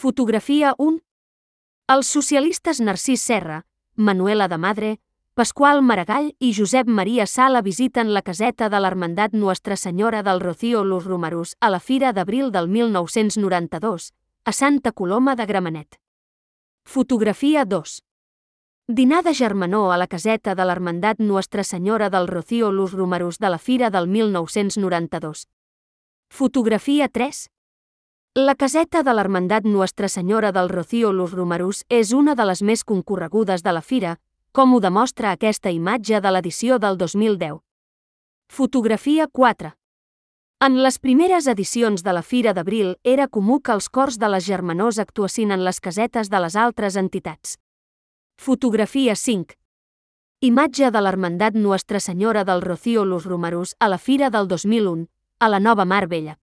Fotografia 1. Els socialistes Narcís Serra, Manuela de Madre, Pasqual Maragall i Josep Maria Sala visiten la caseta de l'Hermandat Nuestra Senyora del Rocío Los Romarús a la Fira d'Abril del 1992, a Santa Coloma de Gramenet. Fotografia 2. Dinar de germanor a la caseta de l'Hermandat Nuestra Senyora del Rocío Los Romarús de la Fira del 1992. Fotografia 3. La caseta de l'Hermandat Nuestra Senyora del Rocío Los Romarús és una de les més concorregudes de la fira, com ho demostra aquesta imatge de l'edició del 2010. Fotografia 4. En les primeres edicions de la Fira d'Abril era comú que els cors de les germanors actuessin en les casetes de les altres entitats. Fotografia 5. Imatge de l'Hermandat Nuestra Senyora del Rocío Los Romarús a la Fira del 2001, a la Nova Mar Bella.